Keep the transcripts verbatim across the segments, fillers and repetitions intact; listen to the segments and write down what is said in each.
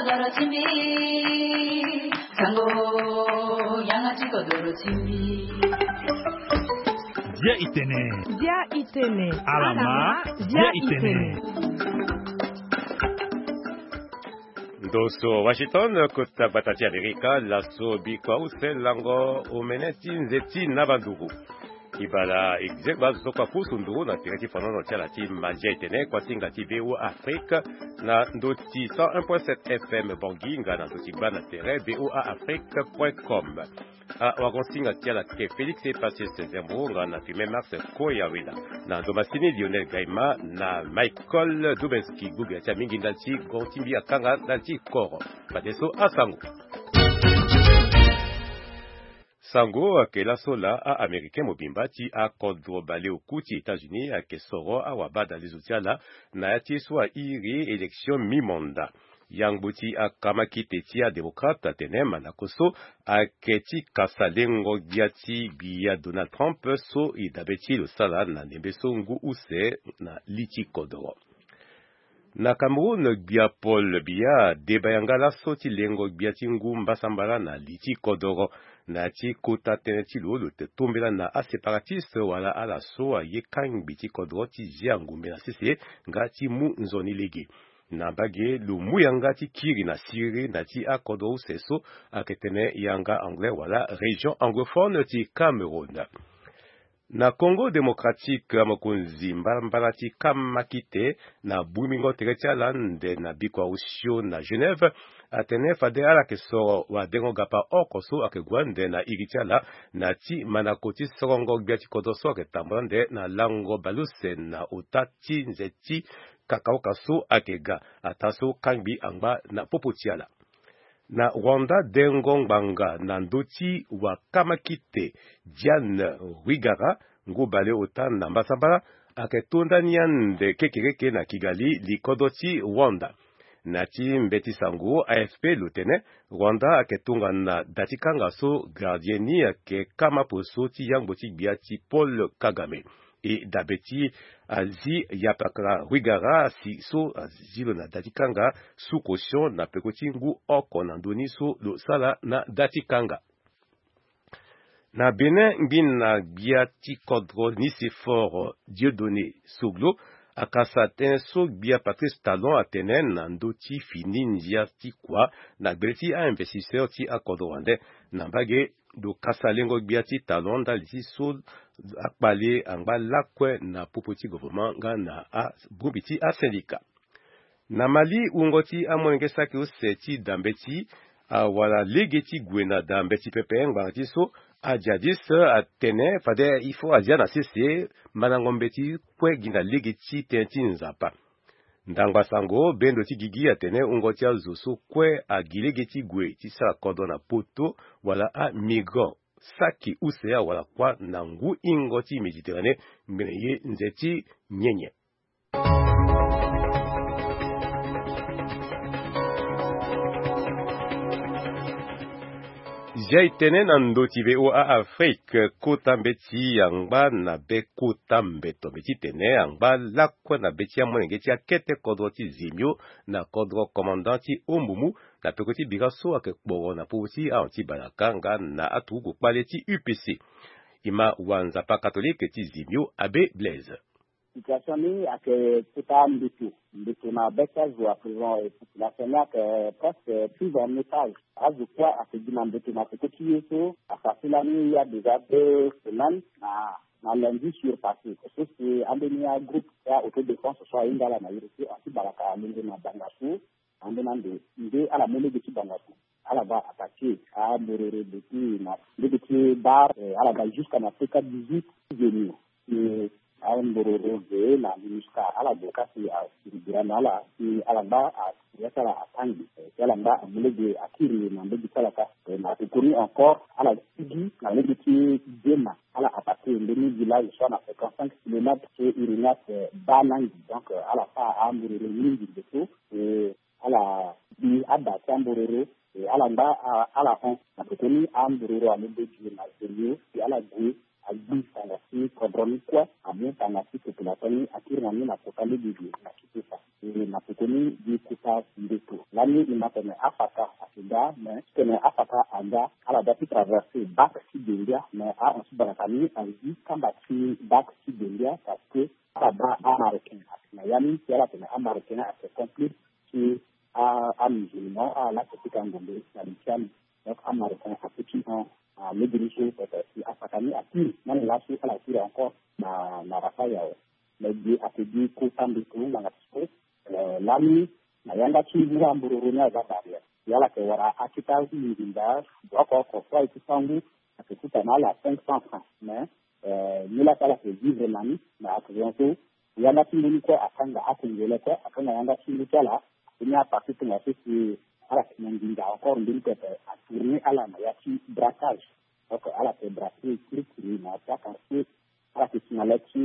Dia itene. Dia itene. Alama, dia itene. Ndo so Washington, kota gbata ti Amerika, laso bikua use lango omene ti nze ti na banduru. Ibala exegba zo kua pusu nduru na tere ti fanono ti ala ti madia etene kuasinga ti V O A Afrique na ndo ti cent un point sept F M Bangui nga na ndo ti gba na tere V O A Afrique point com. Awagonsinga ti ala ke Félix Epacius Zembo nga na Firmin Max Koyawela na ndo masini Lionel Gaima na Michael Dubenski. Gbogila ti amingi ndali ti goro ti mbi akanga ndali ti koro. Fadeso asango. Sango ayeke laso laa a-américain mobimba ti akodro baleoku ti États-Unis ayeke soro awabadalezo ti ala na ya ti ye so airi élection mi-mandat. Yangbo ti akamakite ti adémocrate atene mandako so ayeke ti kasa lengo gbia ti gbia Donald Trump so e dabe ti lo sara na ndembe so ngu use na li ti kodoro. Na Cameroun, Gbia Paul Biya adeba yanga laso ti lengo gbia ti ngu mbasambala na li ti kodoro. Na ya ti kota tënë ti lo, lo te tombela na aséparatistes wala ala so aye kangbi ti kodoro ti zia ngombe na sese nga ti mu nzoni lege. Na mbage, lo mu yanga ti kiri na siriri na ti akodro use so ayeke tene yanga anglais wala région anglophone ti Cameroun. Na Congo Démocratique, mokonzi mbalambala ti kamakite na bungbingo tere ti ala ande na bikua osio na Genève atene fade ala yeke soro wadengo gapa oko so ayeke gue ande na iri ti ala na ti mandako ti sorongo gbia ti kodro so ayeke tambula ande na lango baleuse na ota ti nze ti kakaoka so ayeke ga, ataa so kangbi angba na popo ti ala. Na Rwanda, dengo ngbanga na ndö ti wakamakite Diane Rwigara, ngu baleota na mbasambala, ayeke to ndani ande kekereke na Kigali, likodro ti Rwanda. Na ti mbeti sango A F P lo tene, Rwanda ayeke tongana da ti kanga so gardien ni ayeke kama poso ti yangbo ti gbia ti Paul Kagame. E dabe ti azi yapakara Rwigara asi so azi lo na da ti kanga sous caution na peko ti ngu oko na ndö ni so lo sara na da ti kanga. Na Bénin, ngbina gbia ti kodro Nicéphore Dieudonné Soglo akasa tënë so gbia Patrice Talon atene na ndö ti fini ndia ti kua na gbele ti a-investisseur ti akodro wande. Na mbage, lo kasa lengo gbia ti Talon ndali ti so akpale angba lakue na popo ti gouvernement nga na abongbi ti asyndicat. Na Mali, wungo ti amolenge saki use ti da mbeti awara lege ti gue na da mbeti pepe ngbanga ti so ajihadiste atene fade il faut azia na sese mandango mbeti kue gi na lege ti tënë ti Nzapa. Ndangba sango bendo ti gigi atene wungo ti azo so kue agi lege ti gue ti sara kodro na poto wala amigrant saki use awara kuâ na ngu hingo ti Méditerranée ngbene ye nze ti nyenye. Zia e tene na ndo ti V O A Afrique, kota mbeti angba na be kota mbeto mbe titene angba lakue na be ti amolenge ti akete kodro ti Zemio na kodro commandant ti Ombumu na peko ti bira so ayeke kporo na popo ti ahon ti Balaka nga na aturugu kpale ti U P C. E ma wa Nzapa catholique ti Zemio, Abbé Blaise. Situation ni ayeke kota mbeto, mbeto na be ti azo à présent, et population ni ayeke presque prise en otage. Azo kue ayeke gi na mbeto na peko ti ye so, asara ti lani ya déjà deux semaines na, na lundi surpassé. So si ambeni agroupe ya autodéfense so ahinga ala na iri ti ahon ti Balaka alongo na banga so. Ambeni ande nde ala mu lege ti banga so. Ala baa attaqué ambororo depuis na lege ti bar, eh, ala ga jusqu'à na C K dix-huit Zemio. Si ambororo ge na MINUSCA, ala ge ka si asiri bira na ala si ala ngba a, ya ti ala atangbi, eh, si ala ngba amu lege akiri na mbage ti ala ka. Eh, na tokoni encore ala sigi na lege ti Djema, ala attaqué mbeni village so na cinquante-cinq kilomètres so iri ni ate Banangi. Donc, eh, ala fâ ambororo mingi nde so, eh, ala bi ada ti ambororo, e ala ngba, a, ala hon. Na pekoni ambororo alondo gi na Zemio, si ala gue agbi tanga ti kodro ni kue, amu tanga ti population ni akiri na ni na kota lege gi na Kinshasa. E na pekoni gi kota ndeto. Lani e ma tene afata ayeke ga, mais titene afata aga, ala doit ti traverser bac ti Dendia, mais ahon ti baraka ni azi kamba ti bac ti Dendia, parce que ala baa amaricain ayeke na ya ni, si ala tene amaricain ayeke complice ti a, amusulman, ala laa ayeke pika ngombe na li ti ala. Donc amaricain ape ti hon, ah, legeni so, peut-être si afata ni akiri, na ni laso ala kiri encore na, na Rafael awe. Mais ge ayeke gi kota ndeto ngbanga ti so, eh, lani na yanga ti ngu ambororo ni aza barrière. Si ala yeke wara akita nginza, oko oko so aye ti sangu, ayeke kuta na ala cinq cents francs. Mais, eh, ni laa si ala yeke vivre na ni, na accident so, yanga ti ngu ni kue akanga, akengele kue akanga yanga ti ngu ti ala. Ni aparti tongaso si ala yeke na nginza encore, mbeni pepe atourner ala na ya ti braquage. Donc ala yeke braquer kirikiri na ya ti aquartier. Ala yeke si na le ti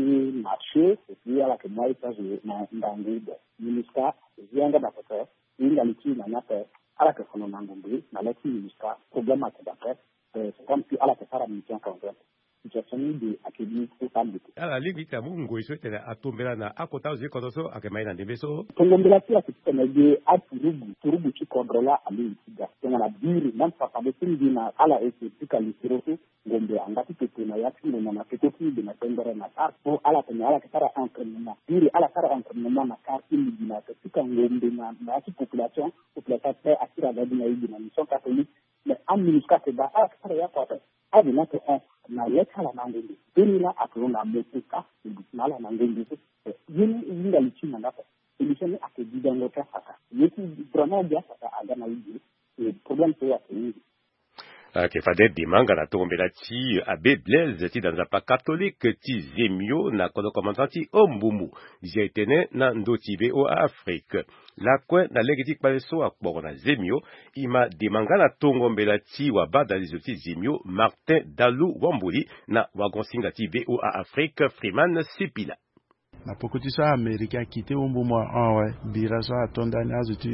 marché, et puis ala yeke mu aye ti azo na ngangu. Bon, MINUSCA azi yanga na pepe, e hinga li ti e na ni ape. Ala yeke fono na ngombe na le ti MINUSCA, problème ayeke daa ape. Eh, c'est comme si ala yeke sara mission conjointe. Situation ni ge ayeke gi kota ndeto. Ala lingbi ti amu ngoi so ti tene atombela na akota azo ti kodro so ayeke ma e na ndembe so. Tongo mbela ti e ayeke ti tene ge aturugu, turugu ti kodro laa alingbi ti ga. Tongana biri, même papa be ti mbi na ala e yeke pika lisoro so, ngombe angba ti toto na ya ti ngonda na peko ti mbi na tembere na kar. So ala tene ala yeke sara entraînement. Biri ala sara entraînement na kar ti mbi na yeke pika ngombe na, na ya ti population. Population ape akiri aga gi na e gi na mission catholique. Mais aMINUSCA ayeke baa ala yeke sara ya kua ape. Azo ni ayeke hon na le ti ala na ngombe. Mbeni laa ayeke hon na moto kâ, e duti na ala na ngombe so. Ye ni e hinga li ti e na nga ape. Solution ni ayeke gigango ti afata. Ye ti vraiment gi afata aga na e ge. E problème so ayeke mingi. Ayeke fade demanga na tongo mbela ti abbé Blaise ti da nzapa catholique ti Zemio na kodro commandant ti Ombumbu. Zi aye tene na ndö ti V O A Afrique. Lakue na lege ti kpale so akporo na Zemio, e ma demanga na tongo mbela ti wabadalizo ti Zemio Martin Dalou Wamboli na wagonsinga ti V O A Afrique Freeman Sipila. Na poko ti so Américain akite Ombumbu ahon awe, bira so ato ndani azo ti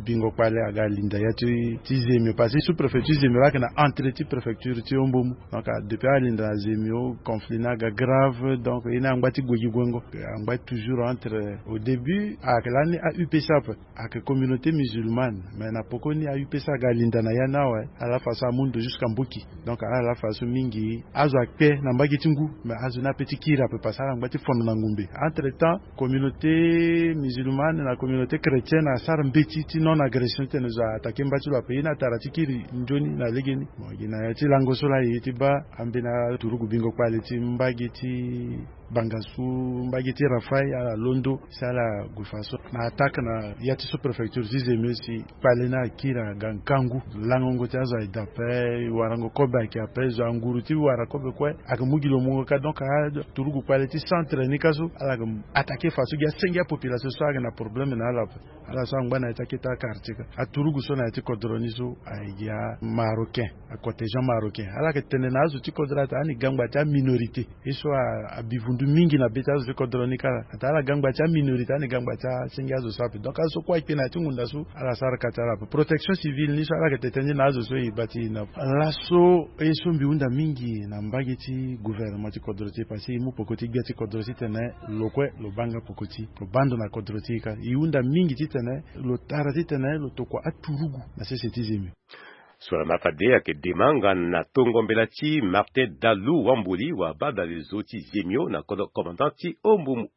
bingo kpale aga linda ya ti, ti Zemio, parce que sous-préfecture Zemio laa ayeke na entrée ti préfecture ti Ombumbu. Donc, ah, depuis alinda na Zemio, conflit ni aga grave, donc ye ni angba ti gue gi guengo. Angba toujours entre, au début ayeke lani a-U P C ape, ayeke communauté musulmane, mais na poko ni a-U P C aga linda na ya ni awe, ala façon amu ndo jusqu'à Mboki. Donc ala façon mingi azo akpe na mbage ti ngu, mais azo ni ape ti kiri ape parce que ala ngba ti fono na ngumbe. Entre temps, communauté musulmane na communauté chrétienne asara mbeti ti non agression ti tene zo a attaqué mba ti lo ape. Ye ni atara ti kiri nzoni na legeni. Bon, gi na ya ti lango so laa e ye ti baa ambeni aturugu bingo kpale ti mbage ti Bangassou, mbage ti Rafaï, ala londo si ala gue façon na attaque na ya ti sous-préfecture ti Zemio si kpale ni akiri aga ngangu. Langongo ti azo aye daa ape, warango kobe ayeke ape, zo anguru ti wara kobe kue ayeke mu gi lo mungo kâ. Donc aturugu kpale ti centre ni kâ so ala yeke attaqué façon gi asenge apopulation so ayeke na problème na ala ape. Ala so angba na ya ti akete akartier kâ. Aturugu so na ya ti kodro ni so aye gi amarocain, acontingent marocain. Ala yeke tene na azo ti kodro atene ani gangba ti aminorité. Ye so a, abivundu mingi na be ti azo ti kodro ni kâ la. Atene ala gangba ti aminorité, ani gangba ti asenge azo so ape. Donc azo so kue akpe na ya ti ngunda so ala sara ka ti ala ape. Protection civile ni so ala yeke tene tënë ni na azo so e baa ti e na. Laso ye so mbi hunda mingi na mbage ti gouvernement ti kodro ti e, parce que e mu peko ti gbia ti kodro ti tene lo kue lo baa nga peko ti lo baa ndo na kodro ti e kâ. E hunda mingi ti tene lo tara ti tene lo tokua aturugu na sese ti Zemio. So na ma fade ayeke demanga na tongo mbela ti Martin Dalou Wamboli, wabadalezo ti Zemio na kodro commandant ti Ombumbu.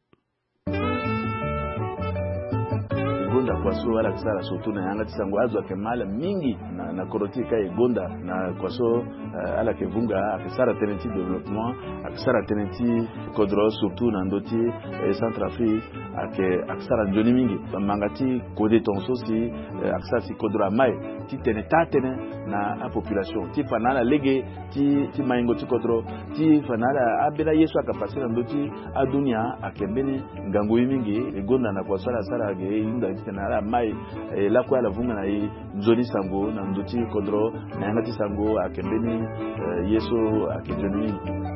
E gonda kua so ala yeke sara surtout na yanga ti sango, azo ayeke ma ala mingi na, na kodro ti e kâ. E gonda na kua so, eh, ala yeke vunga, ayeke sara tënë ti développement, ayeke sara tënë ti kodro surtout na ndö ti, eh, Centrafrique, ayeke, ayeke sara nzoni mingi. Manga ti kode tongaso si, eh, ayeke sara si kodro ama e ti tene taa tënë na apopulation, ti fa na ala lege ti, ti maingo ti kodro, ti fa na ala ambeni aye so ayeke passé na ndö ti adunia ayeke mbeni ngangu ye mingi. E gonda na kua so ala sara ge, e hunda ti tene ala ma e, e lakue ala vunga na e nzoni sango na ndö ti kodro, na yanga ti sango ayeke mbeni, eh, ye so ayeke nzoni mingi.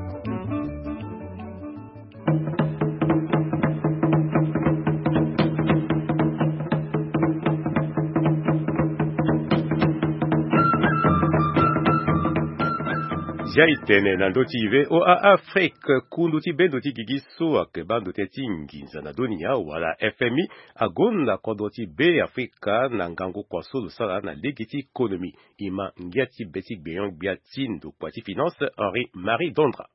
Zia e tene na ndö ti V O A Afrique, kundu ti bendo ti gigi so ayeke baa ndo tënë ti nginza na dunia wala F M I agonda kodro ti Beafrika na ngangu kua so lo sara na lege ti économie. E ma ngia ti be ti gbenyon-gbia ti ndokua ti finance Henri Marie Dondra.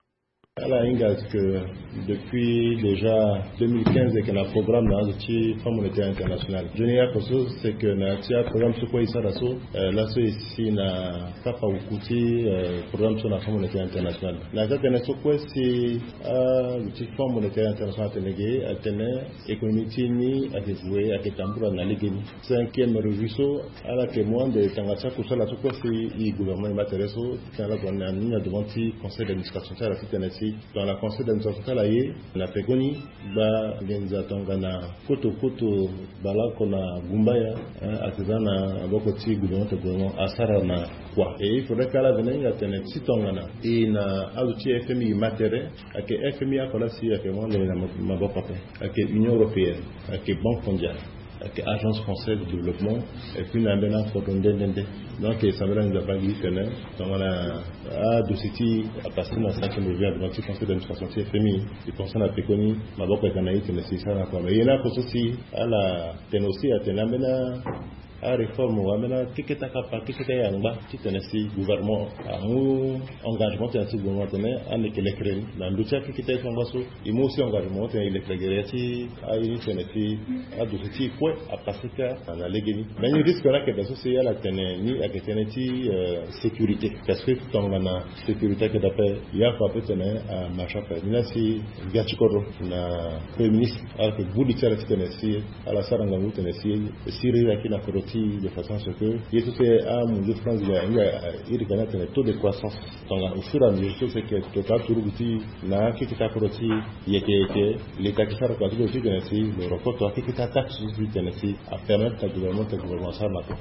Ala hinga que depuis déjà deux mille quinze ayeke na programme na azo ti Fonds Monétaire International. Nzoni oko so c'est que na ya ti aprogramme so kue e sara so, euh, laso e si na kapa uku ti, euh, programme so na Fonds Monétaire International. Na ya ti atene so kue si azo ti Fonds Monétaire International atene ge, atene économie ti e ni ayeke gue, ayeke tambula na legeni. Cinquième revue so ala yeke mu ande tanga ti akusala so kue si e gouvernement e ma tere so, titene ala gue na ni na devant ti conseil d'administration ti ala titene si tongana conseil d'administration ti ala aye na pekoni, gba nginza tongana koto koto baleoko na gumbaya, hein, ayeke za na maboko ti gouvernement, ti gouvernement asara na kua. Et il faudrait que ala vene hinga tene ti tongana e na azo ti F M I e ma tere, ayeke F M I oko la si ayeke mu ande na maboko ape. Ayeke Union européenne, ayeke Banque mondiale, ayeke Agence française de développement, et puis na ambeni akodro nde nde nde. Donc e sambela nginza baa gi titene tongana adossier ti e apasé na cinquième revue na devant ti conseil d'administration ti F M I, e pense na pekoni maboko ayeke na e titene si e sara na kua. Mais ye ni oko so si ala tene aussi atene ambeni aréforme wala ambeni akeketa kapa, akeketa yangba titene si gouvernement amu engagement titene si gouvernement atene ande e yeke lekere ni na ndö ti akeketa ye ti yangba so. E mu aussi engagement titene e lekere gere ya ti aye ni titene si adossier ti e kue apasé kâ na legeni. Mais ni risque ni ayeke daa so si ala tene ni ayeke tënë ti, euh, sécurité. Parce que tongana sécurité ayeke daa ape, ye oko ape titene amarche ape. Ni laa si gbia ti kodro na Premier ministre ala yeke gbu li ti ala titene si ala sara ngangu titene si e siriri ayeke na kodro ti e de façon à ce que ye so si amunzu France ga hinga iri ka ni atene taux de croissance. Tongana au fur et à mesure so si e yeke tota aturugu ti e na akeketa kodro ti e yeke yeke, l'État ayeke sara kua ti lo titene si lo rokoto akeketa taxe so si titene si apermettre na gouvernement titene gouvernement asara na kua.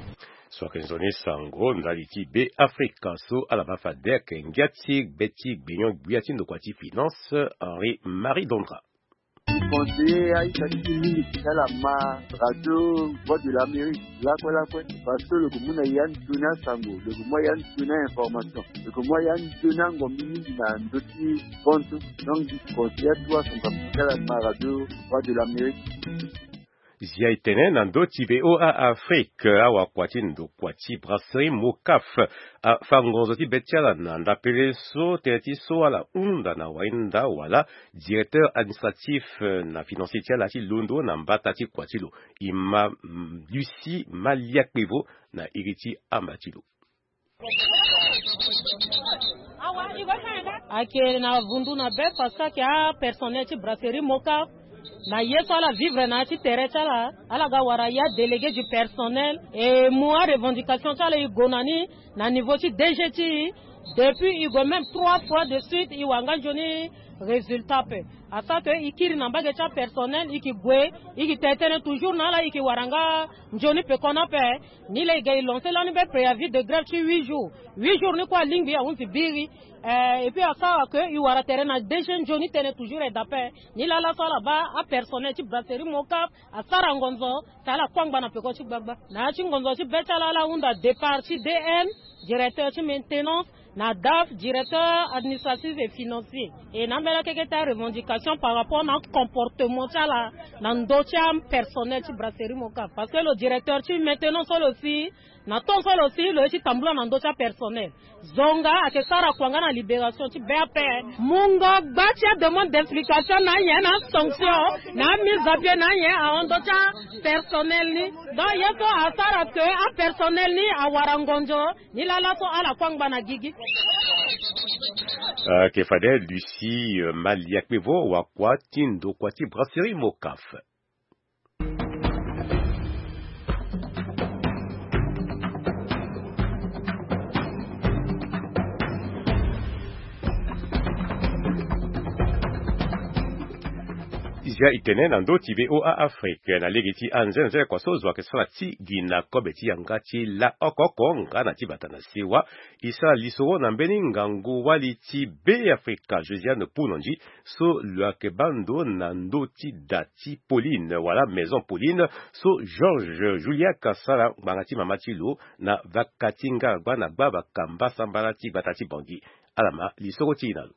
So ayeke nzoni sango ndali ti Beafrika so ala baa fade ayeke ngia ti be ti gbenyon-gbia ti ndokua ti finance Henri Marie Dondra. Ti conseiller aita ti ti mingi ti ala ma radio Voix de l'Amérique lakue lakue, parce que lo yeke mu na ya nzoni asango, lo yeke mu ya nzoni a-information, lo yeke mu ya nzoni angombi mingi na ndö ti compte. Donc ti conseiller atuwa asango ti ala ma radio Voix de l'Amérique. Zia e tene na ndö ti V O A Afrique, awakua ti ndokua ti brasserie Mocaf afa ngonzo ti be ti ala na ndapele so tënë ti so ala hunda na wahinda wala directeur administratif, euh, na financier ti ala ti londo na mbata ti kua ti lo. E ma, mm, Lucie Maliakpevo na iri ti amba ti lo. Ayeke na vundu na be parce que ayeke apersonnel ti brasserie Mocaf. Na ye so ala vivre na ya ti tere ti ala, ala ga wara ya délégué du personnel. E mu arevendication ti ala e gue na ni na niveau ti D G ti e. Depuis e gue même trois fois de suite e wara nga nzoni résultat ape. Asara que e kiri na mbage ti apersonnel, e yeke gue, e yeke tene tënë toujours na ala, e yeke wara nga nzoni pekoni ape. Ni laa e ga e lancer lani be préavis de grève ti huit jours. Huit jours ni kue alingbi, ahunzi biri. Eh, et puis asara que e wara tere na D G nzoni tënë toujours e daa ape. Ni laa laso ala baa apersonnel ti brasserie Mocaf asara ngonzo, si ala kue angba na peko ti gbagba. Na ya ti ngonzo ti be ti ala, ala hunda départ ti D M, directeur ti maintenance, na D A F, directeur administratif et financier. E na ambeni akeketa revendication par rapport na comportement ti ala na ndö ti apersonnel ti brasserie Mocaf. Parce que lo directeur ti maintenance so lo si, na temps so lo si, lo ye ti tambula na ndö ti apersonnel. Zonga ayeke sara kua nga na libération ti be ape. Mungo gba ti ademande d'explication na anyen, na asanction, na amise à pied na anyen ahon ndö ti apersonnel ni. Donc ye so asara que apersonnel ni awara ngonzo. Ni laa laso ala kue angba na gigi. Ayeke fade Lucie, euh, Maliakpevo, wakua ti ndokua ti brasserie Mocaf. Zia e tene na ndö ti V O A Afrique na lege ti anzenze kua so zo ayeke sara ti gi na kobe ti yanga ti la oko oko nga na ti bata na sewa. E sara lisoro na mbeni ngangu wali ti Beafrika Josiane Pounondji, so lo yeke baa ndo na ndö ti da ti Pauline wala Maison Pauline, so Georges Juliac asara ngbanga ti mama ti lo na vaka ti Ngaragba na gbaa bakamba sambala ti gbata ti Bangui. Ala ma lisoro ti e na lo.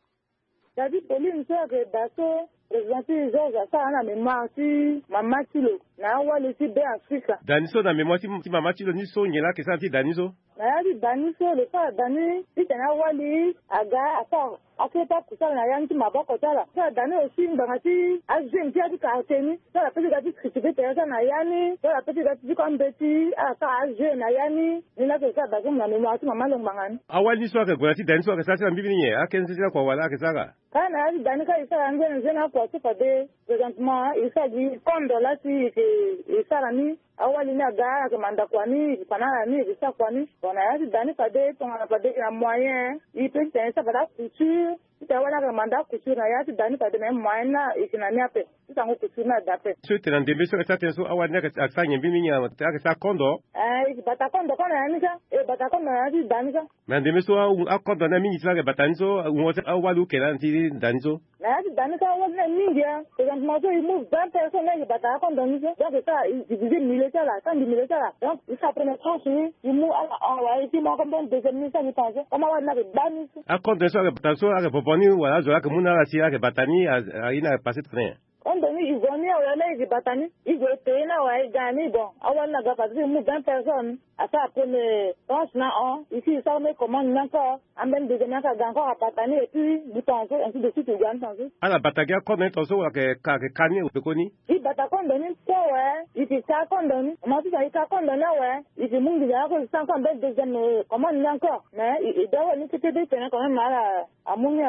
David Pauline so ayeke da so, président ti Georges asara na mémoire ti mama ti lo na awali ti Be Afrika. Da ni so na mémoire ti, ti mama ti lo ni so nyen la ayeke sara ti da ni so? Na ya ti da ni so lo sara da ni titene awali aga asara akete akusala na ya ni ti maboko ti ala. Asara da ni aussi ngbanga ti ajeu ti ya ti quartier ni so ala pe ti ga ti critiquer tere ti ala na ya ni so ala pe ti ga ti diko ambeti ala sara ajeu na ya ni. Ni la ayeke sara da so na mémoire ti mama lo ngbanga ni. Awali ni so ayeke gue na ti da ni so ayeke sara ti na mbi ni nyen? Akene ti lakua wala ayeke sara? Kâ na ya ti da ni kâ e sara nzene nzene akua so fade présentement e sara gi kondo la si e yeke e sara ni. Awali ni aga ala yeke manda kua ni e yeke fa na ala ni e yeke sara kua ni. Bon na ya ti da ni fade tongana fade e yeke na moyen e pe titene e sara fade acouture titene awali ni ayeke manda acouture na ya ti da ni fade me moyen ni la e yeke na ni ape. Ti sango couture ni ada ape. So e tene na ndembe so ayeke sara tënë so awali ni ayeke sara nyen mbi mingi ayeke sara kondo? Eh e yeke bata kondo kâ na ya ni kâ. E bata kondo na ya ti da ni kâ. Me na ndembe so akondo ni amingi ti la ayeke bata ni so wungo ti awali oke lani ti da ni so? Na ya ti da ni so awali ni aye mingi e. Présentement so e mu vingt personnes ni ayeke bata akondo ni so. Donc e sara e diviser milieu ti ala, sambi milieu ti ala. Donc e sara première tranche ni e mu ala hon wala e ti mu ako mbeni deuxième ni e sara gi ton so comme awali ni ayeke gba ni so. Akondo ni so ayeke bata so ayeke vovo ni wala azo la ayeke mu na ala si ayeke bata ni? Aye ni ayeke passe tene nyen? Kondo ni e vo ni awe la e yeke bata ni e gue e peye ni awe e ga na ni. Bon awali ni aga fade so e mu vingt personnes. Asara premier tranche na hon e si e sara mbeni commande ni encore. Ambeni deuxième ni aka ga encore abata ni et puis gi tongaso ainsi de suite e ga ni tongaso. Ala bata gi akondo ni tongaso wala ayeke ka ni pekoni? E bata kondo ni kue awe. E yeke ka kondo ni mo ma ti tena e ka kondo ni awe. E yeke mu nginza ni ako e sara encore mbeni deuxième commande ni encore mais e da awe ni kete ti tene quand même ala amu ni.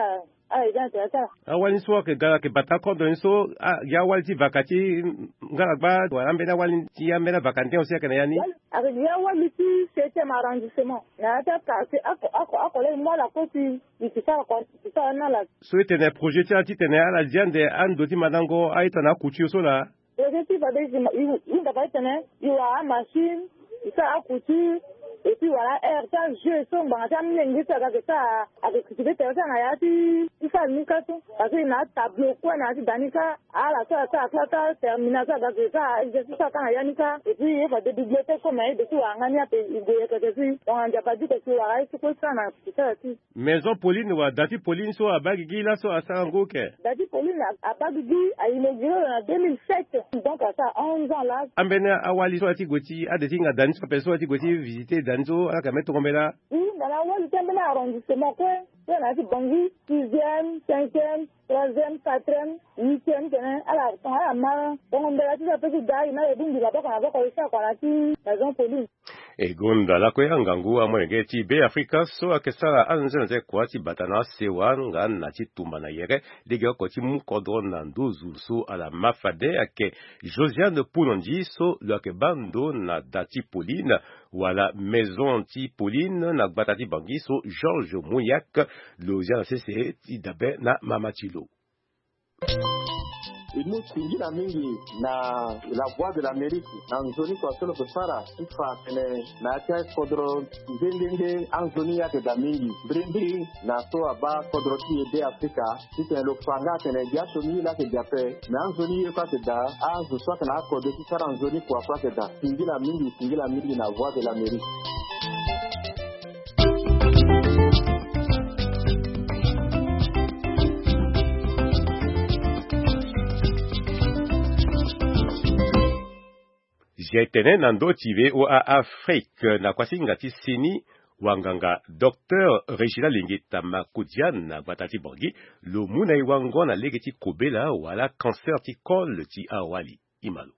Ala e ga na tere ti ala. Awali ni so ayeke ga ayeke bata akondo ni so gi awali ti vaka ti ngalagba wala ambeni awali ti ambeni avaka ni tënë aussi ayeke na ya ni? Ayeke gi awali ti septième arrondissement na ya ti aka si ako ako ako la e mu ala koti. E yeke sara kua e yeke sara ni na ala. So e tene projet ti ala titene ala zi ande ando ti mandango aye tongana acouture so laa? Projet ti fade e si ma e hunda fade titene e wara amachine e sara acouture. Et puis wala aire ti ajeu so ngbanga ti amenge so aga ayeke sara ayeke critiquer tere ti ala na ya ti ti sara ni kâ so. Parce que e na atableau kue na ya ti da ni kâ. Ala so asara kâ kâ terminal so aga ayeke sara exercice so aka na ya ni kâ. Et puis ye fade bibliothèque so me ye de ti wara nga ni ape e gue yeke yeke si tongana Nzapa di yeke si wara ye so kue ti sara na kusala ti. Maison Pauline wala da ti Pauline so abaa gigi laso asara ngu oke? Da ti Pauline abaa gigi a inauguré lo na deux mille sept. Donc asara onze ans la. Ambeni awali so ala ti gue ti ade ti hinga da ni so ape so ala ti gue ti visiter da ni so ala yeke ambeni tongo mbela? Wi na na awali ti ambeni arrondissement kue. So na ya ti Bangui sixième, cinquième, troisième, quatrième, huitième tene ala tongana ala ma tongo mbela ti so ape ti ga e na e bongbi maboko na maboko e sara kua na ti Maison Pauline. E gonda lakue angangu amolenge ti Be Afrika so ayeke sara anzenanze kua ti bata na asewa nga na ti tumba na yere legeoko ti mu kodro na nduzu so ala ma fade ayeke Josiane Pounondi so lo yeke baa ndo na da ti Pauline wala Maison ti Pauline na gbata ti Bangui so Georges Mouillac lo zia na sese ti dabe na mama ti lo. E mu singila mingi na La Voix de l'Amérique na nzoni kua so lo yeke sara ti fa atene na ya ti akodro nde nde nde anzoni ye ayeke daa mingi mbirimbiri na so abaa kodro ti e Be Afrika titene lo fa nga atene gi asioni ye laa ayeke daa ape. Me anzoni ye kue ayeke daa azo so ayeke na akode ti sara nzoni kua kue ayeke daa. Singila mingi singila mingi na Voix de l'Amérique. Zia e tene na ndö ti V O A Afrique na kuasinga ti seni wanganga Docteur Regina Lingeta Makudian na gbata ti Bangui lo mu na e wango na lege ti kobela wala cancer ti col ti awali. Ima lo.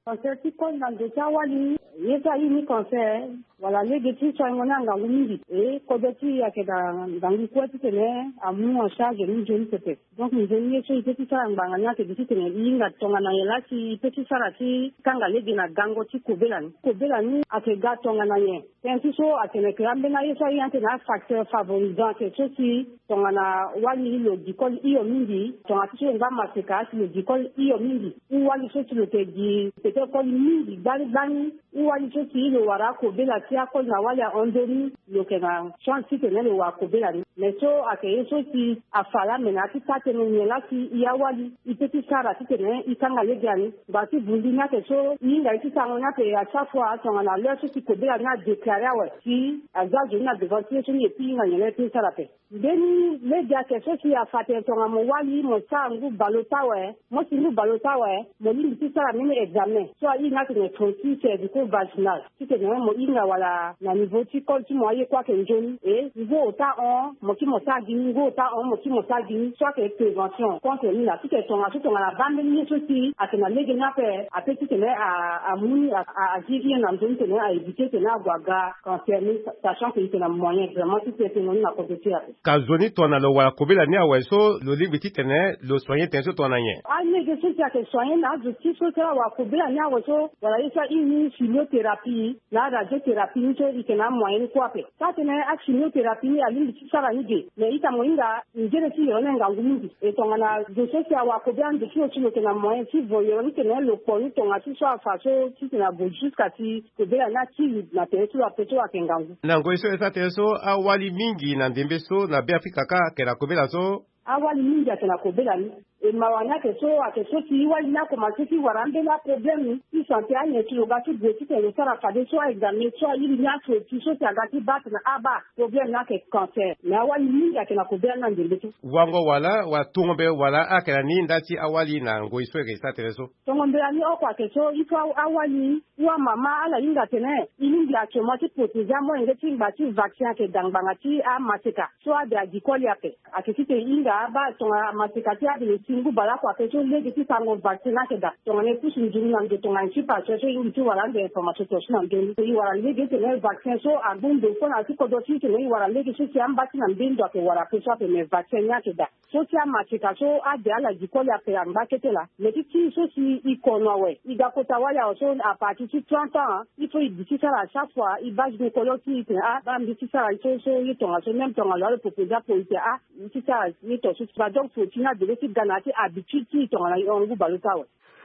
Cancer ti col na ndo ti awali ye so aye ni cancer wala lege ti soingo ni angangu mingi e kodro ti e ayeke daa ngangu kue titene amu en charge ni nzoni pepe. Donc nzoni ye so e peut ti sara ngbanga ni ayeke gi titene e hinga tongana nyen laa si e peut ti sara ti kanga lege na gango ti kobela ni. Kobela ni ayeke ga tongana nyen? Tënë ti so atene ke ambeni aye so aye atene afacteur favorisant ayeke so si tongana wali lo gi koli hio mingi tongana ti so lo ngba maseka si lo gi koli hio mingi. Ou wali so si lo yeke gi peut-être koli mingi gbani gbani. Ou wali so si lo wara akobela Si akoli na wali ahon ndoni, lo yeke na chance titene lo wara kobela ni. Me so ayeke ye so si afa laa me na ya ti taa tënë nyen laa si e awali e pe ti sara titene e kanga lege ani. Ngbanga ti vundi ni ayeke so e hinga ye ti sarango ni ape à chaque fois tongana l'heure so si kobela ni adéclare awe si aza zo ni na devant ti ye so ni e pe e hinga nyen laa e pe e sara ape. Mbeni lege ayeke so si afa atene tongana mo wali mo sara ngu baleota awe, mo si ngu baleota awe, mo lingbi ti sara mbeni examen so airi ni atene frottis cervico-vaginal. Titene mo hinga wala na niveau ti koli ti mo aye kue ayeke nzoni. E ngu ota ahon mo kiri mo sara gi ni, ngu ota ahon mo kiri mo sara gi ni. So ayeke prévention contre ni laa. Titene tongaso tongana abaa mbeni ye so si ayeke na lege ni ape ape titene a- amu ni a- a- agi hien na nzoni titene a éviter titene ague aga cancer ni, sachant que e yeke na moyen vraiment ti tene tënë ni na kodro ti e ape. Ka zo ni tongana lo wara kobela ni awe so lo lingbi titene lo soigner tënë so tongana nyen? Alege so si ayeke soigner na azo ti so si ala wara kobela ni awe so wala ye so airi ni chimiothérapie na radiothérapie ni so e yeke na amoyen ni kue ape. Taa tënë achimiothérapie ni alingbi ti sara ni ge. Me ita mo hinga ngere ti yoro ni ngangu mingi. E tongana zo so si awara kobela ni zo ti lo si lo yeke na moyen ti vo yoro ni tene lo kpo ni tongaso so afa so titene ague jusqu'à si kobela ni akiri na tere ti lo ape so ayeke ngangu. Na ngoi so e sara tënë so awali mingi na ndembe so na Beafrika kâ ayeke na kobela so. Awali mingi ayeke na kobela ni. E mawa ni ayeke so ayeke so si e wali ni akomanse ti wara ambeni aproblème ti santé anyen si lo ga ti gue titene lo sara fadeso aexamen so airi ni afrottis so si aga ti baa atene abaa problème ni ayeke cancer. Me awali mingi ayeke na kobela ni na ndembe so. Wango wala wala tungo mbele wala ayeke na ni nda ti awali na ngoi so e yeke sara tënë so. Tongo mbela ni oko ayeke so il faut awali ou amama ala hinga atene e lingbi actuellement ti protéger amolenge ti ngba ti vaccin ayeke daa ngbanga ti amaseka so ade agi koli ape. Ayeke ti tene e hinga abaa tongana amaseka ti ade lo si ngu baleoko ayeke so lege ti sarango vaccin ni ayeke daa. Tongana e pusu nduru na ndo tongana e ti pase so e lingbi ti wara ande information tongaso na ndoni. E wara lege tene vaccin so angu ndo fo na ya ti kodro ti e tene e wara lege so si amba ti na mbeni ndo ayeke wara ape so ape me vaccin ni ayeke daa. So ti amaseka so ade ala gi koli ape angba kete laa. Me ti ti so si e kono awe e ga kota wali awe so à partir ti trente ans il faut e bi ti sara à chaque fois e baa gynécologue ti e tene ah baa mbi ti sara so so ye tongaso même tongana lo alo proposer apo e tene ah mbi ti sara ye tongaso. Ba donc fo ti ni adege ti ga na ya ti habitude ti e tongana e hon ngu baleota awe.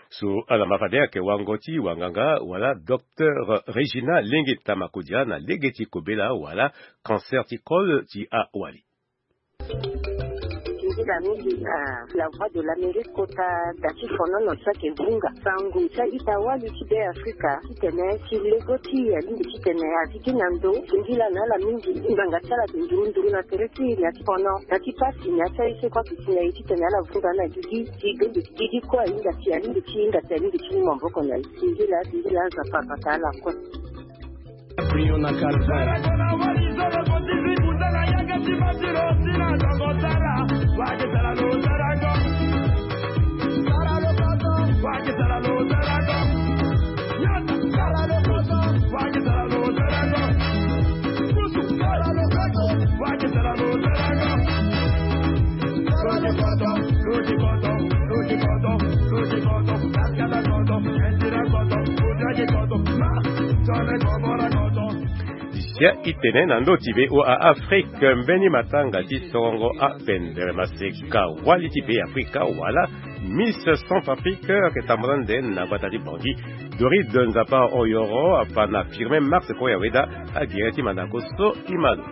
So ala ma fade ayeke wango ti wanganga wala docteur Régina Lengeta Makodia na lege ti kobela wala cancer ti kol ti awali. Ndila mingi na La Voix de l'Amérique kota da ti fonono so ayeke vunga sango ti a-ita wali ti Be Afrika titene ti lego ti e alingbi titene a gi gi na ndo. Ndila na ala mingi ngbanga ti ala ayeke nduru nduru na tere ti e na ya ti fono na ti pasi na ya ti aye so kue ayeke si na e titene ala vunga na gigi ti gombe ti gigi kue ahinga si alingbi ti hinga si alingbi ti mu maboko na e. Ndila ndila Nzapa abata ala kue. Prions na calvaire. Sia itene na ndö ti V O A Afrique, mbeni matanga ti sorongo apendere maseka wali ti Be Afrika wala Miss Centrafrique ayeke tambula ande na gbata ti Bangui. Doris de Nzapa Oyoro afa na Firmin Max Koyaweda agere ti mandako so e ma lo.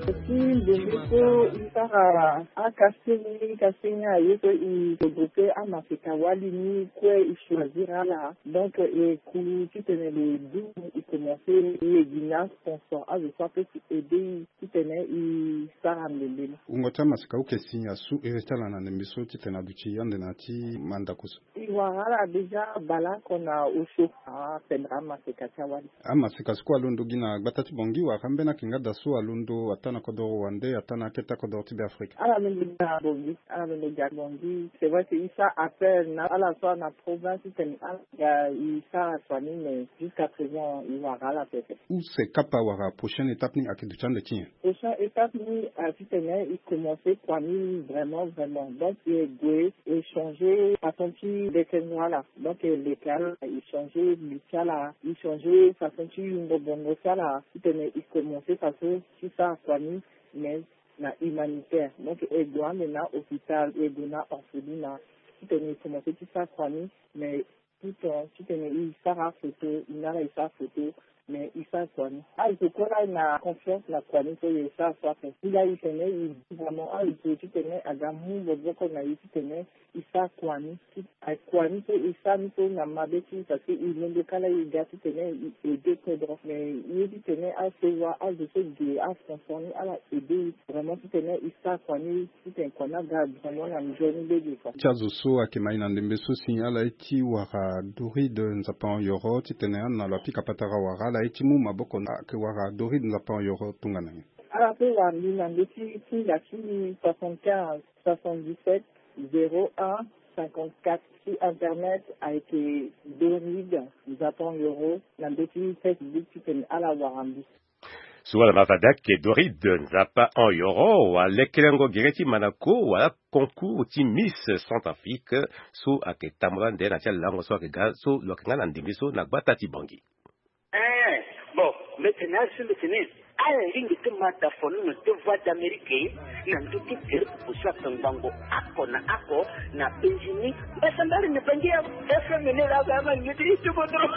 Ti ndembe so e sara akaseni kaseni aye so e regroupe amaseka wali ni kue e choisir ala. Donc e ku titene lo du e commence e gi na sponsor azo so apeut ti aider e titene e sara ndembe ni. Wungo ti amaseka ayeke si asu ere ti ala na ndembe so titene aduti ande na ya ti mandako so. E wara ala déjà baleoko na osio apendere amaseka ti awali. Amaseka so kue alondo gi na gbata ti Bangui wala ambeni ayeke nga daa so alondo ataa na kodoro wande ataa na akete akodoro ti Be Afrika. Ala londo gi na Bangui, ala londo gi na Bangui. C'est vrai que e sara appel na ala so ana province titene ala ga e sara soigner mais jusqu'à présent e wara ala pepe. Use kapa wala prochaine étape ni ayeke duti ande ti nyen? Prochaine étape ni a titene e commence kua ni vraiment vraiment donc e gue e changer façon ti bekengo ala. Donc e leke ala e changer li ti ala e changer façon ti yungo bongo ti ala titene e commence façon ti sara kua ni mais na humanitaire. Donc e gue ande na hôpital e gue na orphelinat titene e commence ti sara kua ni mais tout temps titene e sara photo e na ala e sara photo mais e sara kua ni. Azo kue la na confiance na kua ni so e sara so ape. Ti la e tene e vraiment azo titene aga mu maboko na e titene e sara kua ni. Akua ni so e sara ni so na mabe ti e parce que e londo kala e ga titene e aide kodro. Mais e ye titene asewa azo so ge asponsor ni ala aide e vraiment titene e sara kua ni titene kua ni aga vraiment na nzoni lege kua. Ti azo so ayeke ma e na ndembe so si ala ye ti wara Doride Nzapa Hon Yoro titene ana lo apika patara wara ala ye ti mu maboko na ayeke wara Doride Nzapa Hon Yoro tongana nyen? Ala pe wara mbi na ndö ti singa ti soixante-quinze soixante-dix-sept zéro un cinquante-quatre ti internet ayeke Doride Nzapa Hon Yoro na ndö ti Facebook titene ala wara mbi. So ala ma fade ayeke Doride Nzapa Hon Yoro wala lekerengo gere ti manako wala concours ti Miss Centrafrique so ayeke tambula nde na ti alango so ayeke ga so lo yeke nga na ndembe so na gbata ti Bangui. Eh, bon, mbi tene asi mbi tene ala lingbi ti ma da fono na ti Voix d'Amérique na ndö ti tere popo so ayeke ngbongo oko na oko na penzi ni. Mbasa mbari na bangi ya F M ni la ba ma ngi ti ti kodro.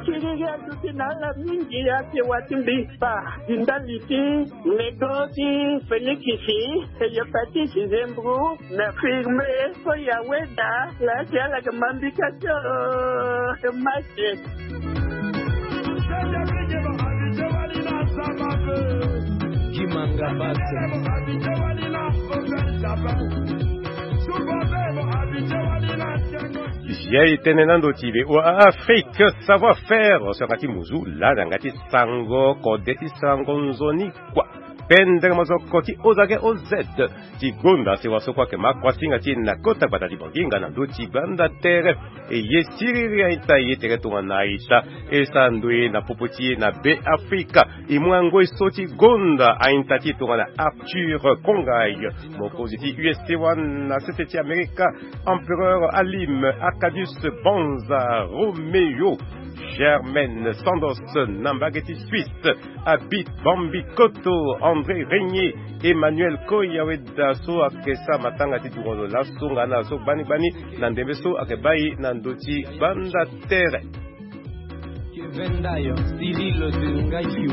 Kiriri aduti na ala mingi ake wa ti mbi kpa. Di ndali ti nego ti Felikisi, Hepatite, Zembro, na Firme, so ya weda, la si ala yeke ma mbi ka ti, oh, mate. Kimanga Bate. Ziai tënë na ndo ti V O A Afrique, savoir-faire, so yanga ti muzu, lani yanga ti sango, kode ti sango nzoni kua. Pendere mozoko ti O Z A G O Z ti gonda sewa so kue ayeke ma kuasinga ti e na kota gbata ti Bangui nga na ndö ti gbanda tere. E ye siriri a-ita, e ye tere tongana a-ita, e sara ndoye na popo ti e na Be Afrika. E mu angoi so ti gonda a-ita ti e tongana Arthur Kongai, mokonzi ti U S T wan na sese ti Amerika, Empereur Halim, Arcadius Banza, Romeo, Germaine Sandos na mbage ti Suisse, Abit Bambi Koto, André Régnier, Emmanuel Koya weda so ayeke sara matanga ti dungo lo laso nga na so gbani gbani na ndembe so ayeke baa e na ndö ti gbanda tere. Kevin Dayo, Cyril de Ngayo.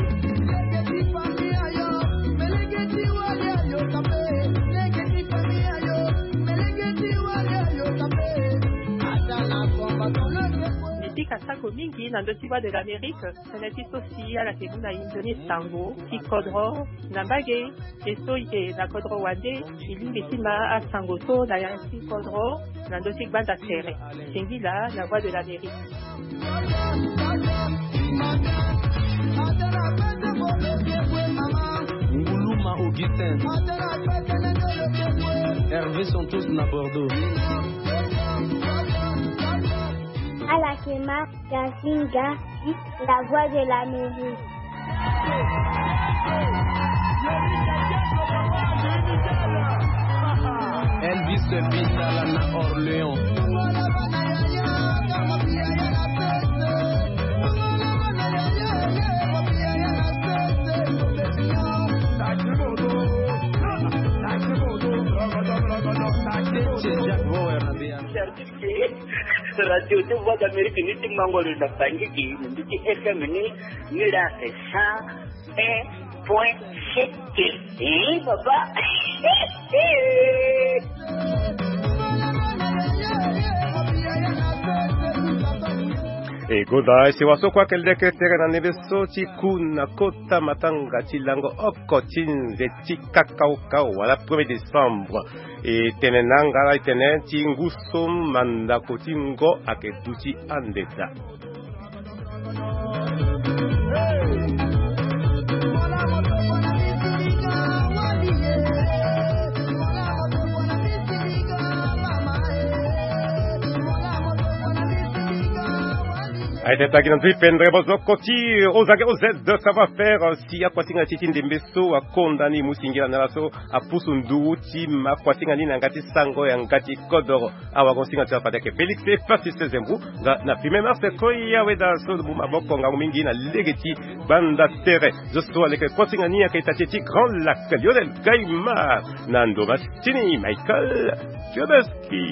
Mbi pika sako mingi na ndö ti Voix de l'Amérique, tënë ti so si ala yeke mu na e nzoni sango ti kodro na mbage. E so e yeke na kodro wande, e lingbi ti ma asango so na ya ti kodro na ndö ti gbanda tere. Singila na Voix de l'Amérique. Nguluma Augustin. Hervé Santos na Bordeaux. Ala yeke ma Gazinga, la Voix de l'Amérique. Elvis Bitala na Orléans. Jacques Bauer na Béarn. Radio ti Voix d'Amérique ni ti mango lo na Bangui, ni ti F M ni, ni la cent un point sept. Eh, papa. E gonda e sewa so kue ayeke leke tere na ndembe so ti ku na kota matanga ti lango oko ti nze ti kakaokao wala premier décembre. E tene na nga la e tene ti ngu so mandako ti ngo ayeke duti ande daa. Aye tene tagi na ndö ti pendere bozoko ti ozage oz savoir faire si akuasinga ti ti ndembe so akonda ni mu singila na ala so apusu nduru ti ma akuasinga ni na yanga ti sango yanga ti kodoro. Awago singa ti ala fade ayeke Félix Patrice Zembu. Nga na premier mars koi awe daa so mu maboko ngangu mingi na lege ti banda tere. Zo so aleke kuasinga ni ayeke ita ti ti Grand Lac Lionel Gaimard na ndoma ti ni Michael Fiodeski.